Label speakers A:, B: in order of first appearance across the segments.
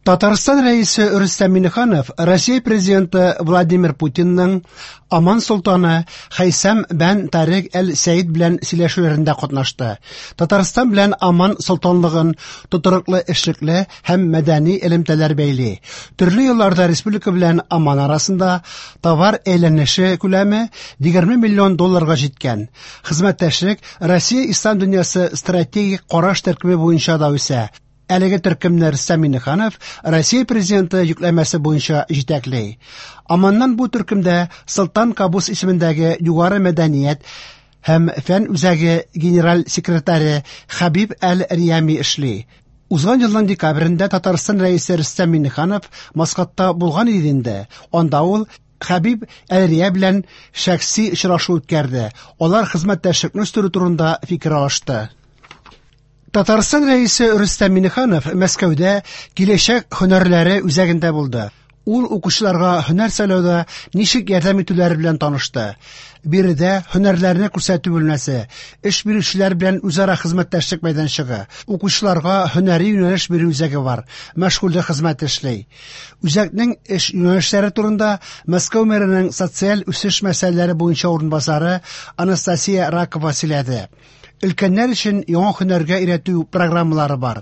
A: Татарстан Рәисе Рөстәм Миңнеханов Россия Президенты Владимир Путинның Оман солтаны Хәйсәм бән Тарек әл-Сәид белән сөйләшүләрендә катнашты. Татарстан белән Оман солтанлыгын тотрыклы эшлекле һәм мәдәни элемтәләр бәйли. Төрле елларда республика белән Оман арасында товар әйләнеше күләме 20 миллион долларга җиткән. Хезмәттәшлек Россия Ислам дөньясы стратегик караш төркеме буенча да үсә. Әлеге төркемне Рөстәм Миңнеханов Россия Президенты йөкләмәсе буенча җитәкли. Оманнан бу төркемдә Солтан Кабус исемендәге югары мәдәният һәм фән үзәге генераль секретаре Хәбиб әл-Риями эшли. Узган елның декабрендә Татарстан Рәисе Рөстәм Миңнеханов Маскатта булган иде инде. Анда ул Хәбиб әл-Рия белән шәхси очрашу үткәрде. Алар хезмәттәшлекне үстерү турында фикер алышты. Татарстан Рәисе Рөстәм Миңнеханов Мәскәүдә Киләчәк һөнәрләре үзәгендә булды. Ул укучыларга һөнәр сайлауда ничек ярдәм итүләре белән танышты. Биредә һөнәрләрне күрсәтү бүлмәсе, эш бирүчеләр белән үзара хезмәттәшлек мәйданчыгы, укучыларга һөнәри юнәлеш бирү үзәге бар, мәшгульлек хезмәте эшли. Үзәкнең эш юнәлешләре турында Мәскәү мэрының социаль үсеш мәсьәләләре буенча урынбасары Анастасия Ракова сөйләде. Өлкәннәр өчен яңа һөнәргә өйрәтү программалары бар.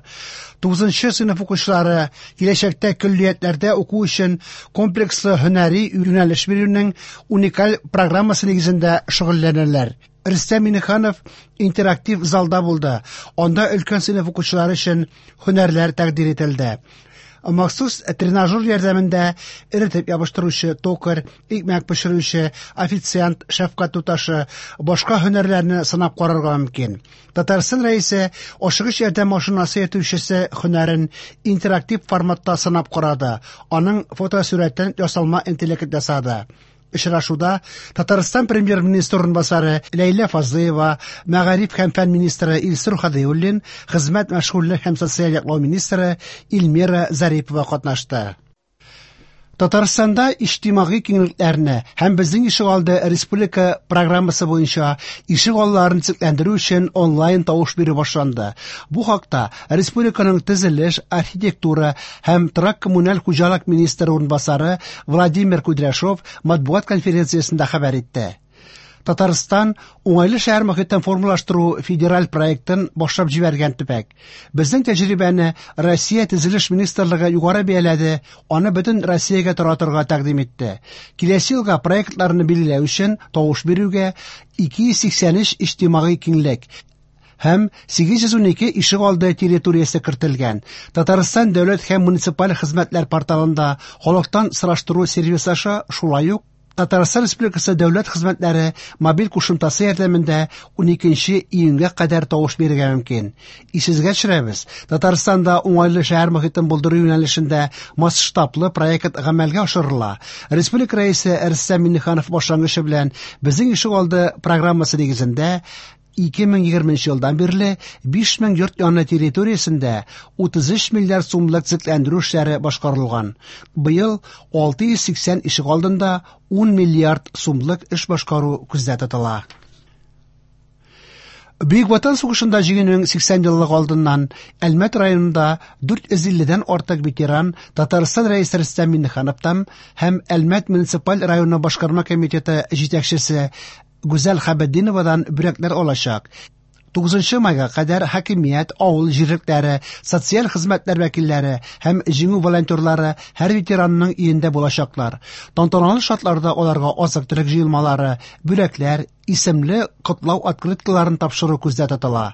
A: 9 сыйныф укучылары киләчәктә көллиятләрдә уку өчен комплекслы һөнәри юнәлеш бирүнең уникаль программасы нигезендә шөгыльләнәләр. Рөстәм Миңнеханов интерактив залда булды. Анда өлкән сыйныф укучылары өчен һөнәрләр тәкъдир ителде. Махсус тренажер ярдәмендә эретеп ябыштыручы, токарь, икмәк пешерүче, официант, шәфкать туташы, башка һөнәрләрне сынап карарга мөмкин. Татарстан Рәисе ашыгыч ярдәм машинасы йөртүчесе һөнәрен интерактив форматта сынап карады. Аның фотосурәтен ясалма интеллект ясады. Очрашуда Татарстан премьер-министры урынбасары Ләйлә Фазлыева, мәгариф һәм фән министры Илсур Һадиуллин, хезмәт, мәшгульлек һәм социаль яклау министры Эльмира Зарипова катнашты. Татарстанда иҗтимагый киңлекләрне һәм Безнең ишегалды республика программасы буенча ишегалларын төзекләндерү өчен онлайн тавыш бирү башланды. Бу хакта республиканың төзелеш, архитектура һәм торак-коммуналь хуҗалык министры урынбасары Владимир Кудряшов матбугат конференциясендә хәбәр итте. Татарстан уңайлы шәһәр мохитен формалаштыру федераль проектын башлап җибәргән төбәк. Безнең тәҗрибәне Россия төзелеш министрлыгы югары бәяләде, аны бөтен Россиягә таратырга тәкъдим итте. Киләсе елга проектларны билгеләү өчен тавыш бирүгә 283 иҗтимагый киңлек һәм 812 ишегалды территориясе кертелгән. Татарстан дәүләт һәм муниципаль хезмәтләр порталында халыктан сораштыру сервисы аша шулай ук Татарстан Республикасы дәүләт хезмәтләре мобиль кушымтасы ярдәмендә 12 июньгә кадәр тавыш бирергә мөмкин. Исегезгә төшерәбез, Татарстанда уңайлы шәһәр мохитен булдыру юнәлешендә масштаблы проект гамәлгә ашырыла. Республика Рәисе Рөстәм Миңнеханов башлангычы белән Безнең ишегалды программасы нигезендә 2020 елдан бирле 5000 йорт яны территориясендә 33 миллиард сумлык төзекләндерү эшләре башкарылган. Быел 680 ишегалдында 10 миллиард сумлык эш башкару күздә тотыла. Бөек Ватан сугышында җиңүнең 80 еллыгы алдыннан Әлмәт районында 450дән артык ветеран Татарстан Рәисе Рөстәм Миңнехановтан һәм Әлмәт муниципаль районы башкарма комитеты җитәкчесе Гүзәл Хәбетдиновадан бүләкләр алачак. 9 майга кадәр хакимият, авыл җирлекләре, социаль хезмәтләр вәкилләре һәм җиңү волонтерлары һәр ветеранның өендә булачаклар. Тантаналы шартларда аларга азык-төлек җыелмалары, бүләкләр, исемле котлау открыткаларын тапшыру күздә тотыла.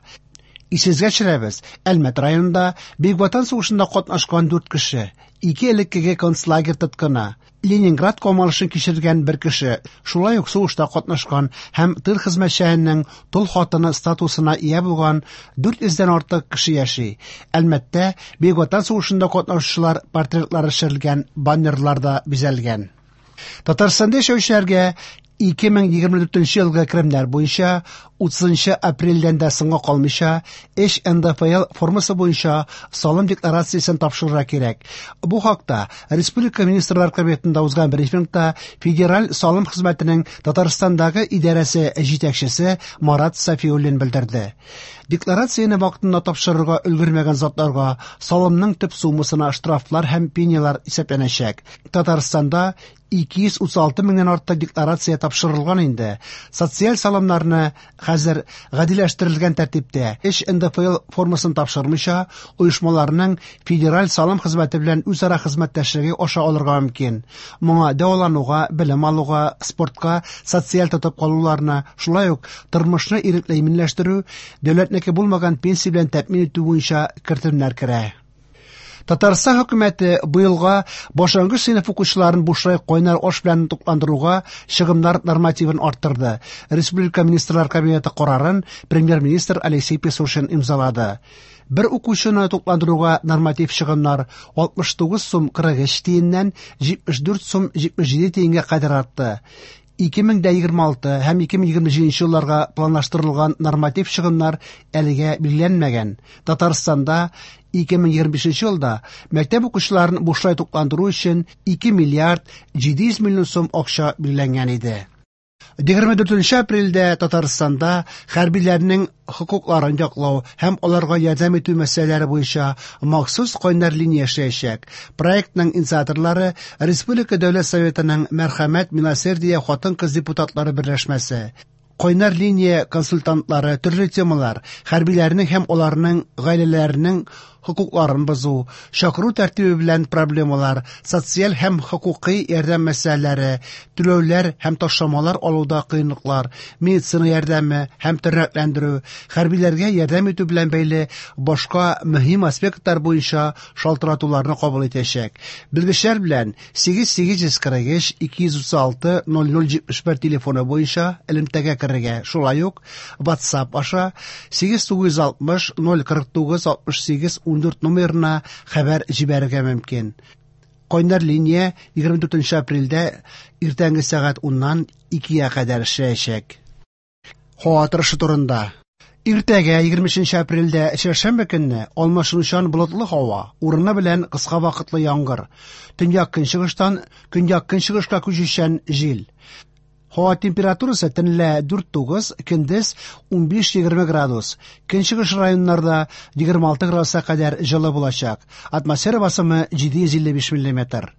A: Исегезгә төшерәбез, Әлмәт районында Бөек Ватан сугышында катнашкан 4 кеше, 2 элеккеге концлагерь тоткыны, Ленинград камалышын кичергән бер кеше, шулай ук сугышта катнашкан һәм тыл хезмәтчәненең тол хатыны статусына ия булган 400дән артык кеше яши. Әлмәттә Бөек Ватан сугышында катнашучылар портретлары төшерелгән баннерлар да бизәлгән. Татарстанда яшәүчеләргә 2024 елгы керемнәр буенча 30 апрельдән дә соңга калмыйча 3 НДФЛ формасы буенча салым декларациясен тапшырырга кирәк. Бу хакта Республика Министрлар Кабинетында узган брифингта Федераль салым хезмәтенең Татарстандагы идарәсе җитәкчесе Марат Сафиуллин белдерде. Декларацияне вакытында тапшырырга өлгермәгән затларга салымның төп суммасына штрафлар һәм пенялар исәпләнәчәк. Татарстанда 236 меңнән артык декларация тапшырылган инде. Социаль салымнарны хәзер гадиләштерелгән тәртиптә 3 НДФЛ формасын тапшырмыйча, оешмаларның Федераль салым хезмәте белән үзара хезмәттәшлеге аша алырга мөмкин. Моңа дәвалануга, белем алуга, спортка, социаль тотып калуларны, шулай ук тормышны ирекле иминләштерү, дәүләтнеке булмаган пенсия белән тәэмин итү буенча кертемнәр керә. Татарстан хөкүмәте быелга башлангыч сыйныф укучыларын бушлай кайнар аш белән тукландыруга чыгымнар нормативын арттырды. Республика Министрлар Кабинеты карарын премьер-министр Алексей Песошин имзалады. Бер укучыны тукландыруга норматив чыгымнар 69 сум 43 тиеннән 74 сум 77 тиенгә кадәр артты. 2026 һәм 2027 елларга планлаштырылган норматив чыгымнар әлегә билгеләнмәгән. Татарстанда 2025 елда мәктәп укучыларын бушлай тукландыру өчен 2 миллиард 700 миллион сум акча билгеләнгән иде. 24 апрельдә Татарстанда хәрбиләрнең хокукларын яклау һәм аларга ярдәм итү мәсьәләләре буенча махсус кайнар линия эшләячәк. Проектның инициаторлары Республика Дәүләт Советының Мәрхәмәт Милосердие хатын-кыз депутатлары берләшмәсе. Кайнар линия консультантлары төрле темалар, хәрбиләрнең һәм аларның гаиләләренең хокукларын бозу, чакыру тәртибе белән проблемалар, социаль һәм хокукый ярдәм мәсьәләләре, түләүләр һәм ташламалар алуда кыенлыклар, медицина ярдәме һәм тернәкләндерү, хәрбиләргә ярдәм итү белән бәйле башка мөһим аспектлар буенча шалтыратуларны кабул итәчәк. Белгечләр белән 8843 236 0071 телефоны буенча элемтәгә керергә, шулай ук WhatsApp аша 8960 049 68 14 номерына хәбәр җибәрергә мөмкин. Кайнар линия 24 апрельдә иртәнге сәгать 10-нан 2-гә кадәр эшләячәк. Һава торышы турында. Иртәгә 23 апрельдә чәршәмбе көнне алмашынучан болытлы һава, урыны белән кыска вакытлы яңгыр. Төньяк көнчыгыштан көньяк көнчыгышка күчүчән җил. Һава температурасы төнлә 4-9, көндез 15-20 градус. Көнчыгыш районнарда 26 градуска кадәр җылы булачак. Атмосфера басымы 755 миллиметр.